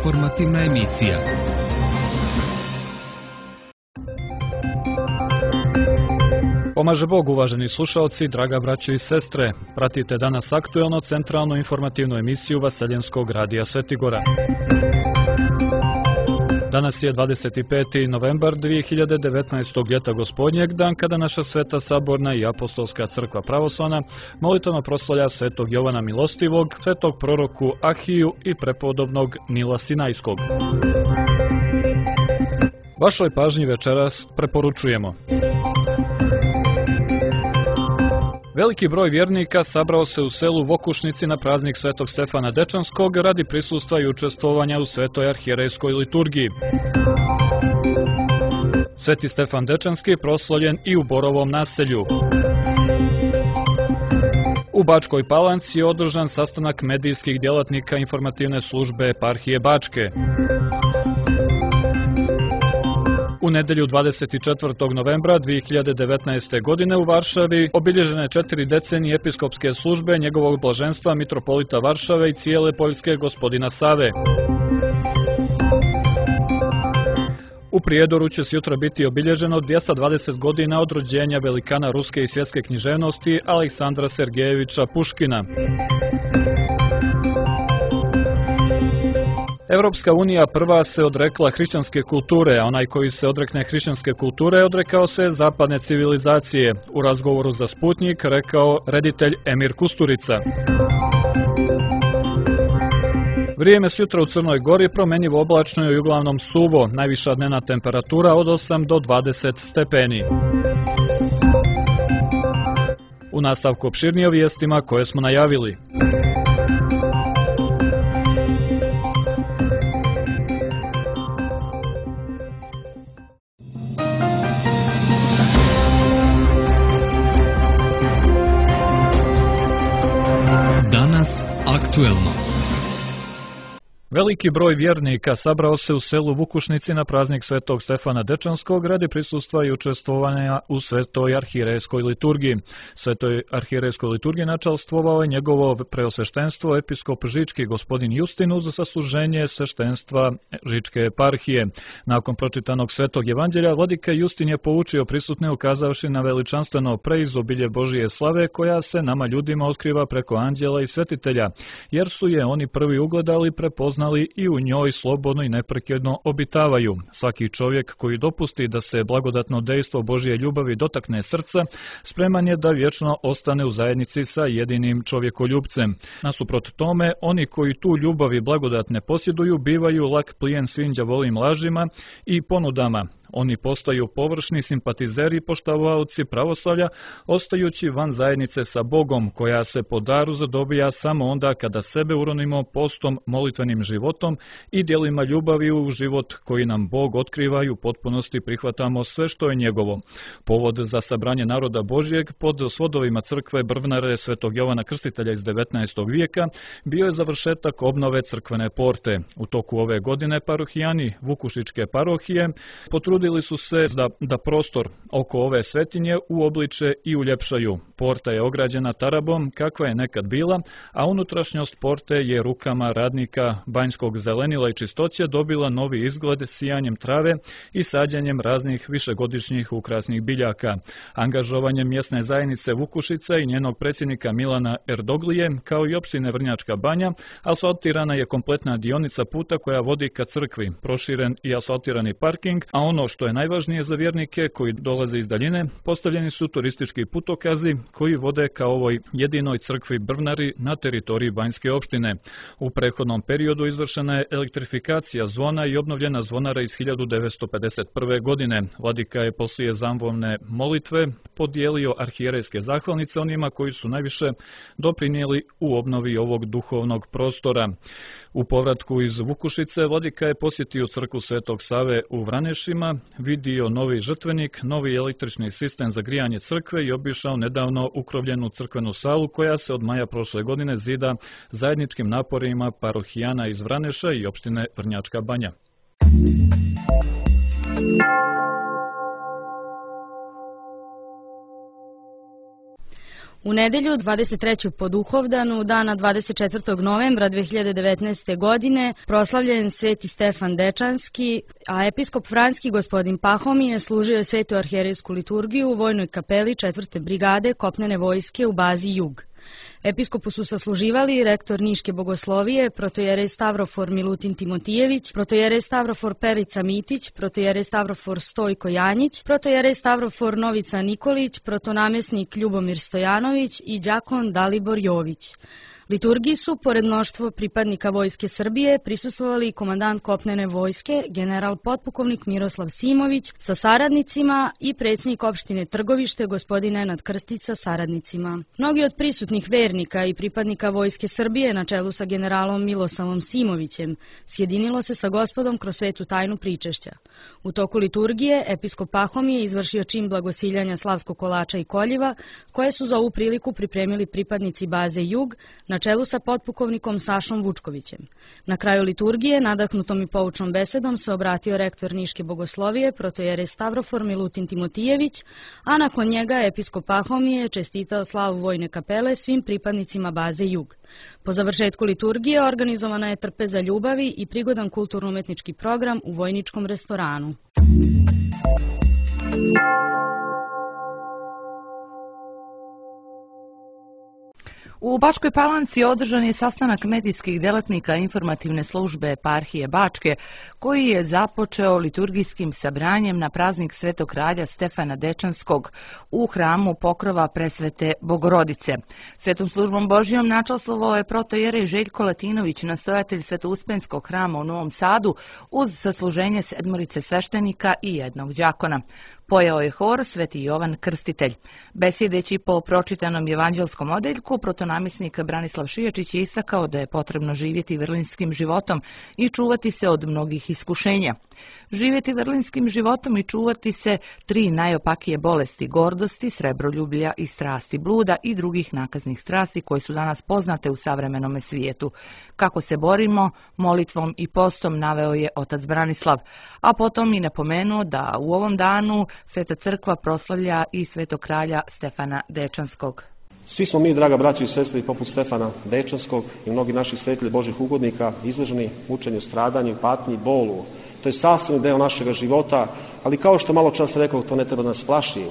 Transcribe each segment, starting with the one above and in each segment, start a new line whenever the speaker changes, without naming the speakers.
Informativna emisija.
Pomaže Bog, uvaženi slušalci, draga braćo i sestre. Pratite danas aktuelno centralnu informativnu emisiju Vaseljenskog radija Svetigora. Danas je 25. novembar 2019. ljeta gospodnjeg, dan kada naša Sveta Saborna i Apostolska crkva pravoslavna molitveno proslavlja Svetog Jovana Milostivog, Svetog proroku Ahiju i prepodobnog Nila Sinajskog. Vašoj pažnji večeras preporučujemo. Veliki broj vjernika sabrao se u selu Vokušnici na praznik Svetog Stefana Dečanskog radi prisustva i učestvovanja u Svetoj arhijerejskoj liturgiji. Sveti Stefan Dečanski proslavljen i u Borovom naselju. U Bačkoj Palanci je održan sastanak medijskih djelatnika informativne službe eparhije Bačke. U nedelju 24. novembra 2019. godine u Varšavi obilježene 4 decenije episkopske službe njegovog blaženstva mitropolita Varšave i cijele Poljske gospodina Save. U Prijedoru će sutra biti obilježeno 220 godina od rođenja velikana ruske i svjetske književnosti Aleksandra Sergejevića Puškina. Europska unija prva se odrekla hrišćanske kulture, a onaj koji se odrekne hrišćanske kulture odrekao se zapadne civilizacije. U razgovoru za Sputnjik rekao reditelj Emir Kusturica. Vrijeme sutra u Crnoj Gori promjenjivo oblačno i uglavnom suvo, najviša dnevna temperatura od 8 do 20 stepeni. U nastavku opširnije o vijestima koje smo najavili.
Aktuelno.
Veliki broj vjernika sabrao se u selu Vukušnici na praznik Svetog Stefana Dečanskog radi prisustva i učestvovanja u Svetoj arhijerejskoj liturgiji. Svetoj arhijerejskoj liturgiji načalstvovao je njegovo preosveštenstvo episkop Žički gospodin Justin uz sasluženje sveštenstva Žičke eparhije. Nakon pročitanog Svetog evanđelja, vladika Justin je poučio prisutne ukazavši na veličanstveno preizobilje Božije slave koja se nama ljudima otkriva preko anđela i svetitelja, jer su je oni prvi ugledali, prepoznali i u njoj slobodno i neprekidno obitavaju. Svaki čovjek koji dopusti da se blagodatno dejstvo Božje ljubavi dotakne srca, spreman je da vječno ostane u zajednici sa jedinim čovjekoljubcem. Nasuprot tome, oni koji tu ljubav i blagodat ne posjeduju, bivaju lak plijen svim đavolim lažima i ponudama. Oni postaju površni simpatizeri i poštovaoci pravoslavlja, ostajući van zajednice sa Bogom, koja se po daru zadobija samo onda kada sebe uronimo postom, molitvenim životom i djelima ljubavi u život koji nam Bog otkriva i u potpunosti prihvatamo sve što je njegovo. Povod za sabranje naroda Božjeg pod svodovima crkve Brvnare Svetog Jovana Krstitelja iz 19. vijeka bio je završetak obnove crkvene porte. U toku ove godine parohijani Vukušičke parohije potrudili su se da prostor oko ove svetinje uobliče i uljepšaju. Porta je ograđena tarabom kakva je nekad bila, a unutrašnjost porte je rukama radnika banjskog zelenila i čistoće dobila novi izgled sijanjem trave i sađenjem raznih višegodišnjih ukrasnih biljaka. Angažovanjem mjesne zajednice Vukušica i njenog predsjednika Milana Erdoglije, kao i opštine Vrnjačka Banja, asfaltirana je kompletna dionica puta koja vodi ka crkvi, proširen i asfaltirani parking, a ono što je najvažnije za vjernike koji dolaze iz daljine, postavljeni su turistički putokazi koji vode ka ovoj jedinoj crkvi Brvnari na teritoriji Banjske opštine. U prethodnom periodu izvršena je elektrifikacija zvona i obnovljena zvonara iz 1951. godine. Vladika je poslije zamvolne molitve podijelio arhijerejske zahvalnice onima koji su najviše doprinijeli u obnovi ovog duhovnog prostora. U povratku iz Vukušice, vladika je posjetio crkvu Svetog Save u Vranešima, vidio novi žrtvenik, novi električni sistem za grijanje crkve i obišao nedavno ukrovljenu crkvenu salu koja se od maja prošle godine zida zajedničkim naporima parohijana iz Vraneša i opštine Vrnjačka Banja.
U nedelju 23. po Duhovdanu, dana 24. novembra 2019. godine, proslavljen Sveti Stefan Dečanski, a episkop Franjski gospodin Pahomije služio je svetu arhijerejsku liturgiju u vojnoj kapeli 4. brigade kopnene vojske u bazi Jug. Episkopu su sasluživali rektor Niške bogoslovije, protojerej Stavrofor Milutin Timotijević, protojerej Stavrofor Perica Mitić, protojerej Stavrofor Stojko Janjić, protojerej Stavrofor Novica Nikolić, protonamjesnik Ljubomir Stojanović i đakon Dalibor Jović. Liturgiji su, pored mnoštvo pripadnika Vojske Srbije, prisustvovali i komandant kopnene vojske, general potpukovnik Miroslav Simović sa saradnicima i predsjednik opštine Trgovište, gospodin Nenad Krstić sa saradnicima. Mnogi od prisutnih vernika i pripadnika Vojske Srbije na čelu sa generalom Milosavom Simovićem sjedinilo se sa gospodom kroz svetu tajnu pričešća. U toku liturgije episkop Pahomije izvršio čin blagosiljanja slavskog kolača i koljiva, koje su za ovu priliku pripremili pripadnici baze Jug na čelu sa potpukovnikom Sašom Vučkovićem. Na kraju liturgije, nadahnutom i poučnom besedom, se obratio rektor Niške bogoslovije, protojerej Stavrofor Milutin Timotijević, a nakon njega episkop Pahomije čestitao slavu vojne kapele svim pripadnicima baze Jug. Po završetku liturgije organizovana je trpeza ljubavi i prigodan kulturno-umetnički program u vojničkom restoranu.
U Bačkoj Palanci održan je sastanak medijskih delatnika informativne službe eparhije Bačke, koji je započeo liturgijskim sabranjem na praznik Svetog kralja Stefana Dečanskog u hramu Pokrova Presvete Bogorodice. Svetom službom Božijom načastvovao je protojerej Željko Latinović, nastojatelj Svetouspenskog hrama u Novom Sadu, uz sasluženje 7 sveštenika i 1 đakona. Pojeo je hor Sveti Jovan Krstitelj. Besjedeći po pročitanom evanđelskom odeljku, protonamjesnik Branislav Šijačić je istakao da je potrebno živjeti vrlinskim životom i čuvati se od mnogih iskušenja. Živjeti vrlinskim životom i čuvati se 3 najopakije bolesti: gordosti, srebroljublja i strasti bluda i drugih nakaznih strasti koje su danas poznate u savremenom svijetu. Kako se borimo? Molitvom i postom, naveo je otac Branislav, a potom i napomenuo da u ovom danu Sveta crkva proslavlja i Svetog kralja Stefana Dečanskog.
Svi smo mi, draga braći i sestre, poput Stefana Dečanskog i mnogi naši svetitelji Božih ugodnika, izloženi mučenju, stradanju, patnji, bolu. To je sastavni deo našega života, ali kao što malo čas rekao, to ne treba da nas plaši.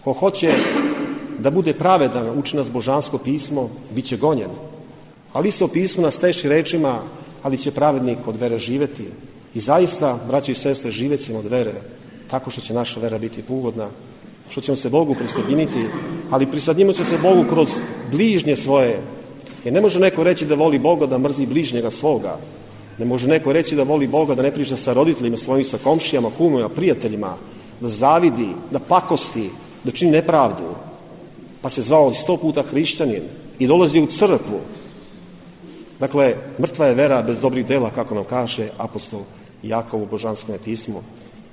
Ko hoće da bude pravedan, uči nas božansko pismo, bit će gonjen. Ali isto pismo nas teši rečima, ali će pravednik od vere živjeti. I zaista, braći i sestre, živjet ćemo od vere, tako što će naša vera biti ugodna, što ćemo se Bogu prisjediniti, ali prisjedinimo se Bogu kroz bližnje svoje. Jer ne može neko reći da voli Boga, da mrzi bližnjega svoga. Ne može neko reći da voli Boga, da ne priča sa roditeljima svojim, sa komšijama, kumovima, prijateljima, da zavidi, da pakosti, da čini nepravdu. Pa se zvao 100 puta hrišćanin i dolazi u crkvu. Dakle, mrtva je vera bez dobrih dela, kako nam kaže apostol Jakov u Božanskome pismu.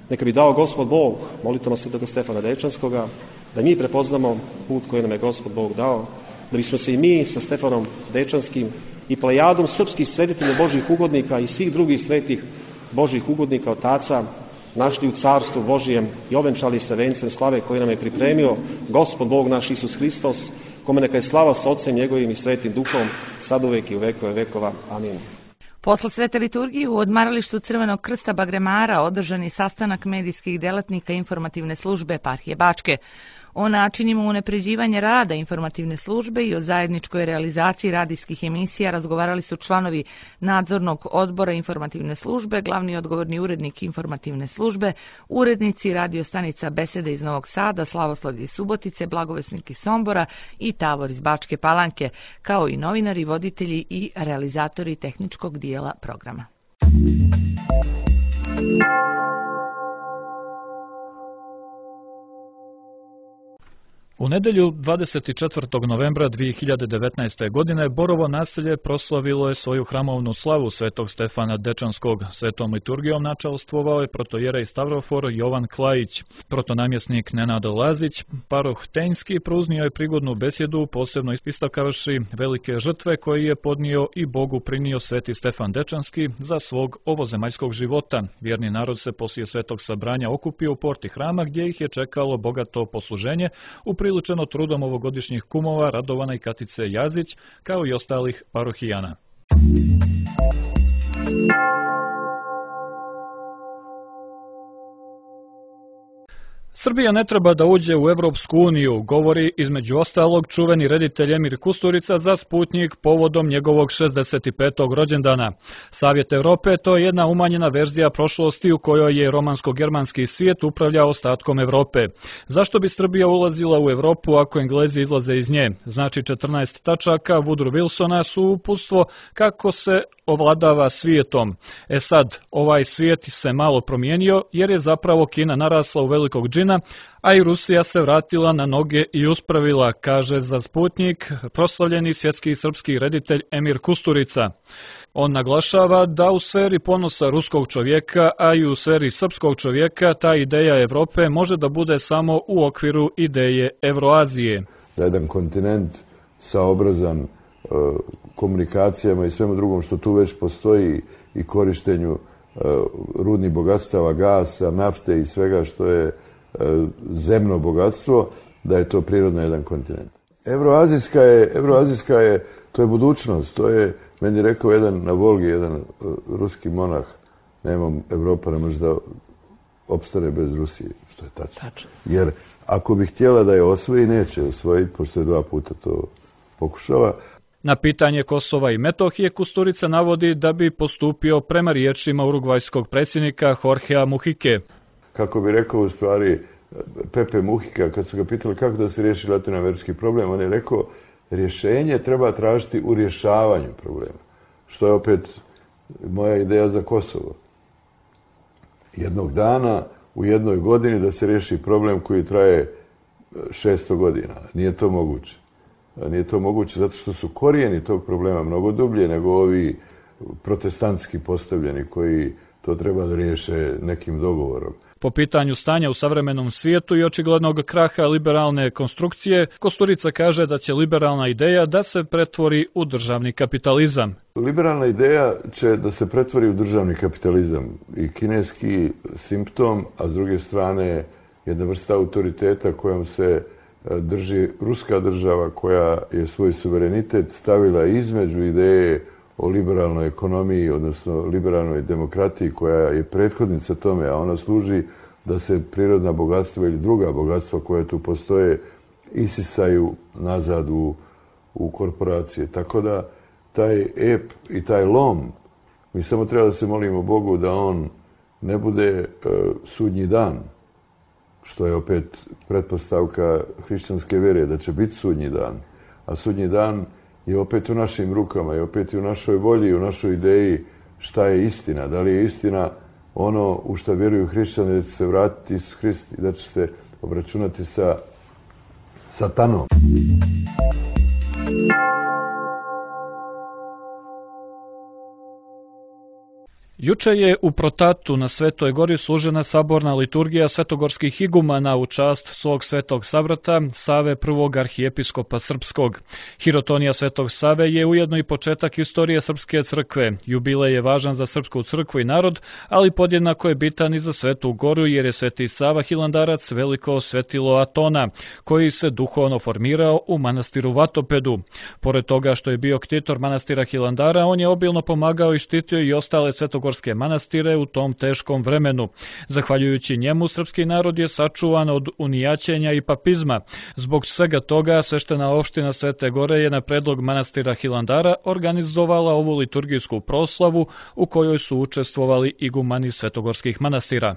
Neka bi dao Gospod Bog, molitama Svetog Stefana Dečanskoga, da mi prepoznamo put koji nam je Gospod Bog dao, da bismo se i mi sa Stefanom Dečanskim i plejadom srpskih svetitelja Božih ugodnika i svih drugih svetih Božih ugodnika otaca našli u Carstvu Božijem i ovenčali se vencem slave koji nam je pripremio Gospod Bog naš Isus Hristos, kome neka je slava s Otcem njegovim i Svetim Duhom, sad uvek i u vekove vekova. Amin.
Posle svete liturgije u odmaralištu Crvenog krsta Bagremara održan je sastanak medijskih delatnika informativne službe eparhije Bačke. O načinima unapređivanja rada informativne službe i o zajedničkoj realizaciji radijskih emisija razgovarali su članovi nadzornog odbora informativne službe, glavni odgovorni urednik informativne službe, urednici radio stanica Besede iz Novog Sada, Slavoslav iz Subotice, Blagovesnik iz Sombora i Tavor iz Bačke Palanke, kao i novinari, voditelji i realizatori tehničkog dijela programa.
U nedelju 24. novembra 2019. godine Borovo naselje proslavilo je svoju hramovnu slavu Svetog Stefana Dečanskog. Svetom liturgijom načastvovao je protojerej Stavrofor Jovan Klajić. Protonamjesnik Nenad Lazić, paroh Tenjski, pruznio je prigodnu besjedu, posebno istakavši velike žrtve koje je podnio i Bogu prinio Sveti Stefan Dečanski za svog ovozemaljskog života. Vjerni narod se poslije svetog sabranja okupio u porti hrama, gdje ih je čekalo bogato posluženje u priliku upriličeno trudom ovogodišnjih kumova Radovana i Katice Jazić, kao i ostalih parohijana. Srbija ne treba da uđe u Evropsku uniju, govori između ostalog čuveni reditelj Emir Kusturica za Sputnjik povodom njegovog 65. rođendana. Savjet Evrope to je jedna umanjena verzija prošlosti u kojoj je romansko-germanski svijet upravljao ostatkom Evrope. Zašto bi Srbija ulazila u Evropu ako Englezi izlaze iz nje? Znači 14 tačaka Woodrow Wilsona su uputstvo kako se ovladava svijetom. Sad, ovaj svijet se malo promijenio jer je zapravo Kina narasla u velikog džina, a i Rusija se vratila na noge i uspravila, kaže za Sputnjik proslavljeni svjetski srpski reditelj Emir Kusturica. On naglašava da u sferi ponosa ruskog čovjeka, a i u sferi srpskog čovjeka, ta ideja Evrope može da bude samo u okviru ideje Evroazije.
Da jedan kontinent saobrazan komunikacijama i svemu drugom što tu već postoji i korištenju rudnih bogatstava, gasa, nafte i svega što je zemno bogatstvo, da je to prirodno jedan kontinent. Evroazijska je, to je budućnost, to je, meni rekao jedan na Volgi, jedan ruski monah, Evropa ne može da opstane bez Rusije, što je tačno. Jer ako bi htjela da je osvoji, neće osvojiti, pošto je 2 puta to pokušala.
Na pitanje Kosova i Metohije Kusturica navodi da bi postupio prema riječima urugvajskog predsjednika Jorgea Muhike.
Kako bi rekao u stvari Pepe Muhika, kad su ga pitali kako da se riješi latinoamerički problem, on je rekao rješenje treba tražiti u rješavanju problema. Što je opet moja ideja za Kosovo. Jednog dana u jednoj godini da se riješi problem koji traje 600 godina. Nije to moguće. Nije to moguće zato što su korijeni tog problema mnogo dublje nego ovi protestantski postavljeni koji to treba da riješe nekim dogovorom.
Po pitanju stanja u savremenom svijetu i očiglednog kraha liberalne konstrukcije, Kusturica kaže da će liberalna ideja da se pretvori u državni kapitalizam.
Liberalna ideja će da se pretvori u državni kapitalizam i kineski simptom, a s druge strane jedna vrsta autoriteta kojom se drži ruska država koja je svoj suverenitet stavila između ideje o liberalnoj ekonomiji, odnosno liberalnoj demokratiji koja je prethodnica tome, a ona služi da se prirodna bogatstva ili druga bogatstva koja tu postoje isisaju nazad u korporacije. Tako da taj ep i taj lom, mi samo treba da se molimo Bogu da on ne bude sudnji dan, što je opet pretpostavka hrišćanske vjere, da će biti sudnji dan. A sudnji dan je opet u našim rukama i opet i u našoj volji i u našoj ideji šta je istina. Da li je istina ono u što vjeruju hrišćani da će se vratiti Isus Hrist i da će se obračunati sa satanom.
Juče je u Protatu na Svetoj gori služena saborna liturgija svetogorskih igumana u čast svog svetog sabrata, Save I. arhijepiskopa srpskog. Hirotonija Svetog Save je ujedno i početak istorije Srpske crkve. Jubilej je važan za Srpsku crkvu i narod, ali podjednako je bitan i za Svetu goru jer je Sveti Sava Hilandarac veliko svetilo Atona, koji se duhovno formirao u manastiru Vatopedu. Pored toga što je bio ktitor manastira Hilandara, on je obilno pomagao i štitio i ostale svetogorske manastire u tom teškom vremenu. Zahvaljujući njemu, srpski narod je sačuvan od unijaćenja i papizma. Zbog svega toga, sveštena opština Svete Gore je na predlog manastira Hilandara organizovala ovu liturgijsku proslavu u kojoj su učestvovali igumani svetogorskih manastira.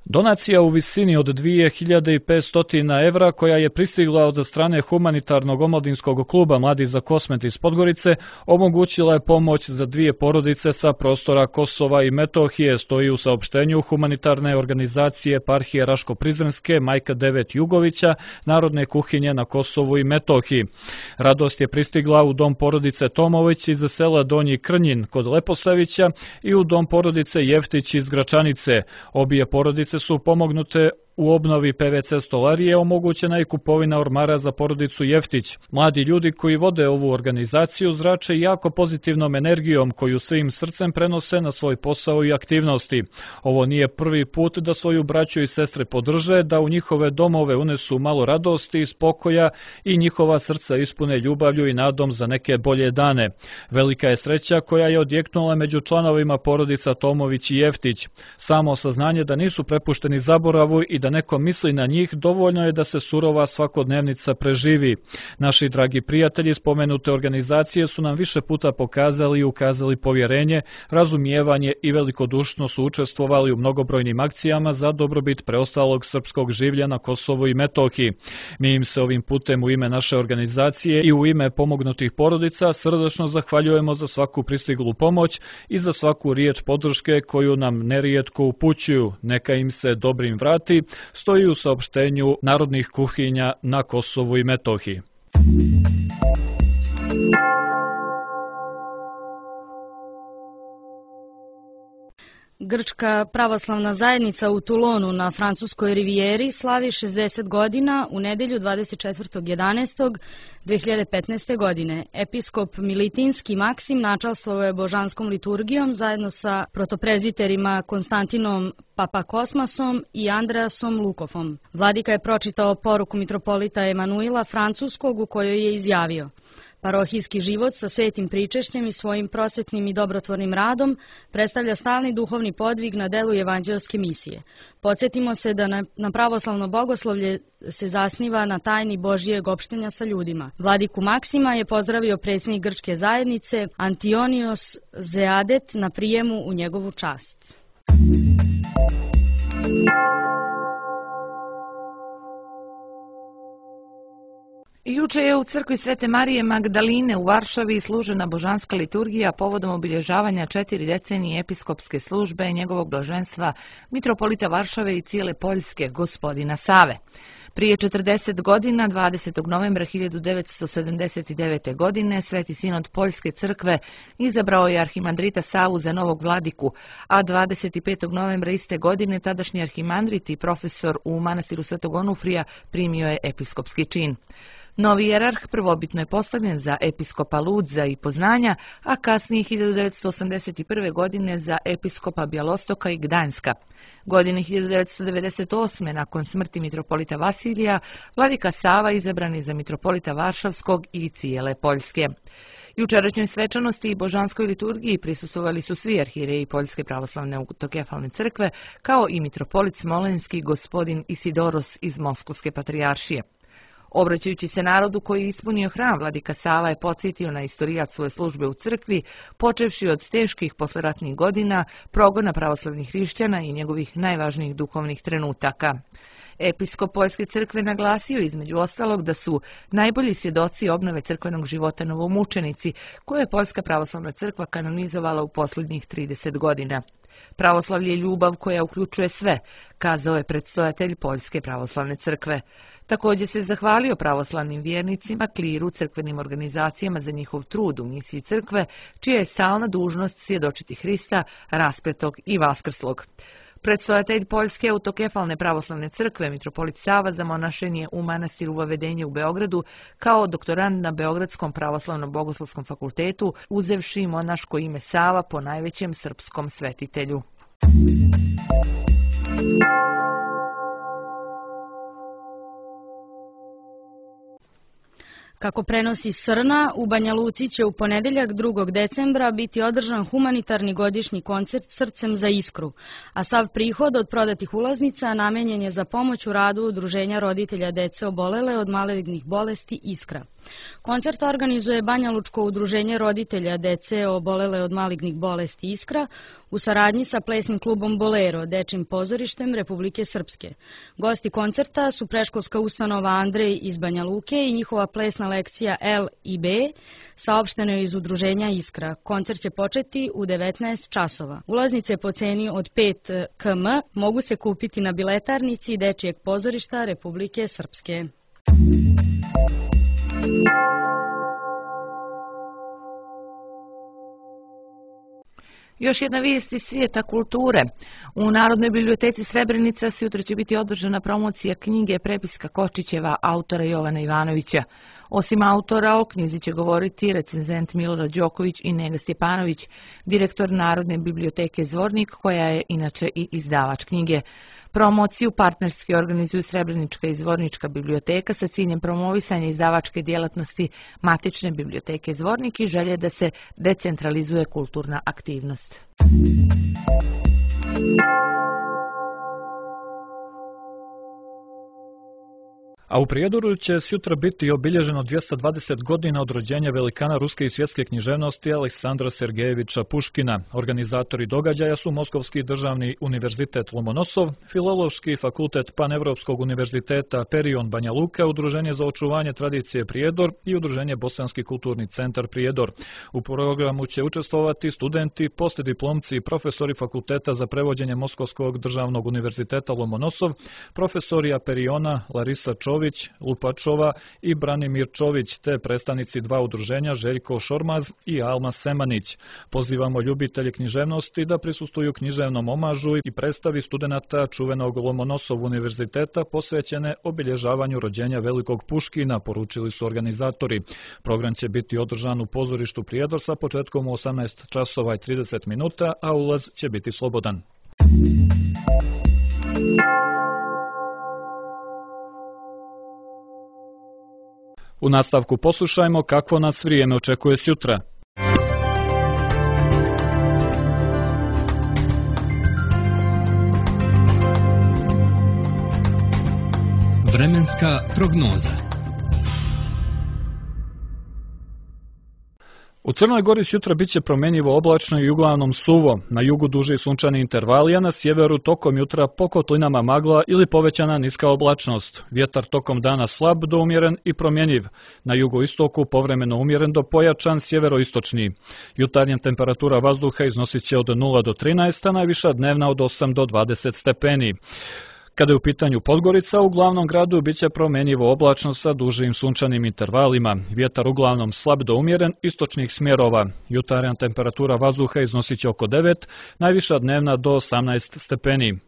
Donacija u visini od 2500 evra koja je pristigla od strane humanitarnog omladinskog kluba Mladi za Kosmet iz Podgorice omogućila je pomoć za 2 porodice sa prostora Kosova i Metohije, stoji u saopštenju humanitarne organizacije Eparhije Raško-Prizrenske Majka Devet Jugovića Narodne kuhinje na Kosovu i Metohiji. Radost je pristigla u dom porodice Tomović iz sela Donji Krnjin kod Leposavića i u dom porodice Jeftić iz Gračanice. Obje porodice su pomognute U obnovi PVC stolarije omogućena je kupovina ormara za porodicu Jeftić. Mladi ljudi koji vode ovu organizaciju zrače jako pozitivnom energijom koju svim srcem prenose na svoj posao i aktivnosti. Ovo nije prvi put da svoju braću i sestre podrže, da u njihove domove unesu malo radosti i spokoja i njihova srca ispune ljubavlju i nadom za neke bolje dane. Velika je sreća koja je odjeknula među članovima porodica Tomović i Jeftić. Samo saznanje da nisu prepušteni zaboravu i da neko misli na njih dovoljno je da se surova svakodnevnica preživi. Naši dragi prijatelji spomenute organizacije su nam više puta pokazali i ukazali povjerenje, razumijevanje i velikodušno su učestvovali u mnogobrojnim akcijama za dobrobit preostalog srpskog življa na Kosovu i Metohiji. Mi im se ovim putem u ime naše organizacije i u ime pomognutih porodica srdačno zahvaljujemo za svaku pristiglu pomoć i za svaku riječ podrške koju nam nerijetko upućuju. Neka im se dobrim vrati, stoji u saopštenju Narodnih kuhinja na Kosovu i Metohiji.
Grčka pravoslavna zajednica u Toulonu na francuskoj rivijeri slavi 60 godina u nedjelju 24.11.2015. godine. Episkop Militinski Maksim načalstvovao je božanskom liturgijom zajedno sa protopreziterima Konstantinom Papakosmasom i Andreasom Lukofom. Vladika je pročitao poruku mitropolita Emanuila Francuskog u kojoj je izjavio: parohijski život sa svetim pričešćem i svojim prosvetnim i dobrotvornim radom predstavlja stalni duhovni podvig na delu evanđelske misije. Podsjetimo se da na pravoslavno bogoslovlje se zasniva na tajni Božijeg opštenja sa ljudima. Vladiku Maksima je pozdravio predsjednik grčke zajednice Antionios Zeadet na prijemu u njegovu čast.
Juče je u crkvi Svete Marije Magdaline u Varšavi služena božanska liturgija povodom obilježavanja 4 decenije episkopske službe njegovog blaženstva mitropolita Varšave i cijele Poljske, gospodina Save. Prije 40 godina, 20. novembra 1979. godine, Sveti sinod Poljske crkve izabrao je arhimandrita Savu za novog vladiku, a 25. novembra iste godine tadašnji arhimandrit i profesor u manastiru Svetog Onufrija primio je episkopski čin. Novi jerarh prvobitno je postavljen za episkopa Ludza i Poznanja, a kasnije 1981. godine za episkopa Bjelostoka i Gdanjska. Godine 1998. nakon smrti mitropolita Vasilija, vladika Sava izabran je za mitropolita Varšavskog i cijele Poljske. Jučerašnjoj svečanosti i božanskoj liturgiji prisustvovali su svi arhijereji Poljske pravoslavne autokefalne crkve, kao i mitropolit Smolenski gospodin Isidoros iz Moskovske patrijaršije. Obraćajući se narodu koji je ispunio hram, vladika Sava je podsjetio na istorijat svoje službe u crkvi, počevši od teških posleratnih godina, progona pravoslavnih hrišćana i njegovih najvažnijih duhovnih trenutaka. Episkop Poljske crkve naglasio između ostalog da su najbolji svjedoci obnove crkvenog života novomučenici, koje je Poljska pravoslavna crkva kanonizovala u posljednjih 30 godina. Pravoslavlje je ljubav koja uključuje sve, kazao je predstojatelj Poljske pravoslavne crkve. Također se zahvalio pravoslavnim vjernicima, kliru, crkvenim organizacijama za njihov trud u misiji crkve, čija je stalna dužnost svjedočiti Hrista, raspetog i vaskrslog. Predstojatelj Poljske autokefalne pravoslavne crkve, mitropolit Sava, zamonašen je u manastiru Vavedenje u Beogradu kao doktorand na Beogradskom pravoslavnom bogoslovskom fakultetu, uzevši monaško ime Sava po najvećem srpskom svetitelju.
Kako prenosi Srna, u Banja Luci će u ponedjeljak 2. decembra biti održan humanitarni godišnji koncert Srcem za iskru, a sav prihod od prodatih ulaznica namenjen je za pomoć u radu Udruženja roditelja dece obolele od malignih bolesti Iskra. Koncert organizuje Banja Lučko udruženje roditelja dece obolele od malignih bolesti Iskra u saradnji sa plesnim klubom Bolero, dečjim pozorištem Republike Srpske. Gosti koncerta su predškolska ustanova Andrej iz Banja Luke i njihova plesna lekcija L i B, saopšteno iz udruženja Iskra. Koncert će početi u 19 časova. Ulaznice po ceni od 5 km mogu se kupiti na biletarnici dečjeg pozorišta Republike Srpske.
Još jedna vijest iz svijeta kulture. U Narodnoj biblioteci Srebrenica sutra će biti održana promocija knjige Prepiska Kočićeva autora Jovana Ivanovića. Osim autora, o knjizi će govoriti recenzent Milorad Đoković i Nega Stjepanović, direktor Narodne biblioteke Zvornik, koja je inače i izdavač knjige. Promociju partnerski organizuju Srebrenička i Zvornička biblioteka sa ciljem promovisanja izdavačke djelatnosti matične biblioteke Zvornik i želje da se decentralizuje kulturna aktivnost.
A u Prijedoru će sutra biti obilježeno 220 godina od rođenja velikana ruske i svjetske književnosti Aleksandra Sergejeviča Puškina. Organizatori događaja su Moskovski državni univerzitet Lomonosov, Filološki fakultet Panevropskog univerziteta Perion Banja Luka, Udruženje za očuvanje tradicije Prijedor i Udruženje Bosanski kulturni centar Prijedor. U programu će učestvovati studenti, poslijediplomci i profesori Fakulteta za prevođenje Moskovskog državnog univerziteta Lomonosov, profesorija Periona Larisa Čović, Lupačova i Branimir Čović, te predstavnici dva udruženja Željko Šormaz i Alma Semanić. Pozivamo ljubitelje književnosti da prisustvuju književnom omažu i predstavi studenata čuvenog Lomonosov univerziteta posvećene obilježavanju rođenja velikog Puškina, poručili su organizatori. Program će biti održan u pozorištu Prijedor sa početkom u 18:30, a ulaz će biti slobodan. U nastavku poslušajmo kakvo nas vrijeme očekuje sutra.
Vremenska prognoza.
U Crnoj Gori sutra bit će promjenjivo oblačno i uglavnom suvo, na jugu duži sunčani intervali, a na sjeveru tokom jutra po kotlinama magla ili povećana niska oblačnost. Vjetar tokom dana slab do umjeren i promjenjiv, na jugoistoku povremeno umjeren do pojačan sjeveroistočni. Jutarnja temperatura vazduha iznosit će od 0 do 13, a najviša dnevna od 8 do 20 stepeni. Kada je u pitanju Podgorica, u glavnom gradu bit će promjenjivo oblačno sa dužim sunčanim intervalima. Vjetar uglavnom slab do umjeren istočnih smjerova. Jutarnja temperatura vazduha iznosit će oko 9, najviša dnevna do 18 stepeni.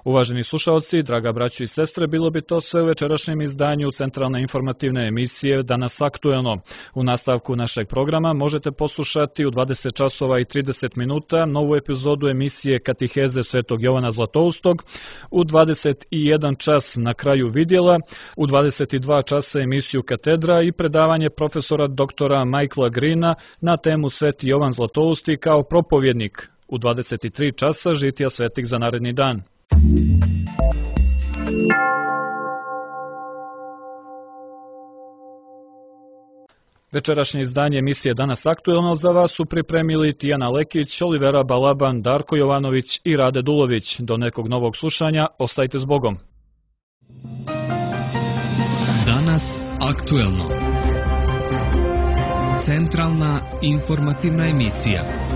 Uvaženi slušalci, draga braćo i sestre, bilo bi to sve u večerašnjem izdanju centralne informativne emisije Danas aktuelno. U nastavku našeg programa možete poslušati u 20:30 novu epizodu emisije Katiheze Svetog Jovana Zlatoustog, u 21 čas Na kraju vidjela, u 22 časa emisiju Katedra i predavanje profesora doktora Michaela Greena na temu Sveti Jovan Zlatousti kao propovjednik. U 23 časa žitija svetih za naredni dan. Večerašnje izdanje emisije Danas aktuelno za vas su pripremili Tijana Lekić, Olivera Balaban, Darko Jovanović i Rade Dulović. Do nekog novog slušanja, ostajte s Bogom.
Danas aktuelno. Centralna informativna emisija.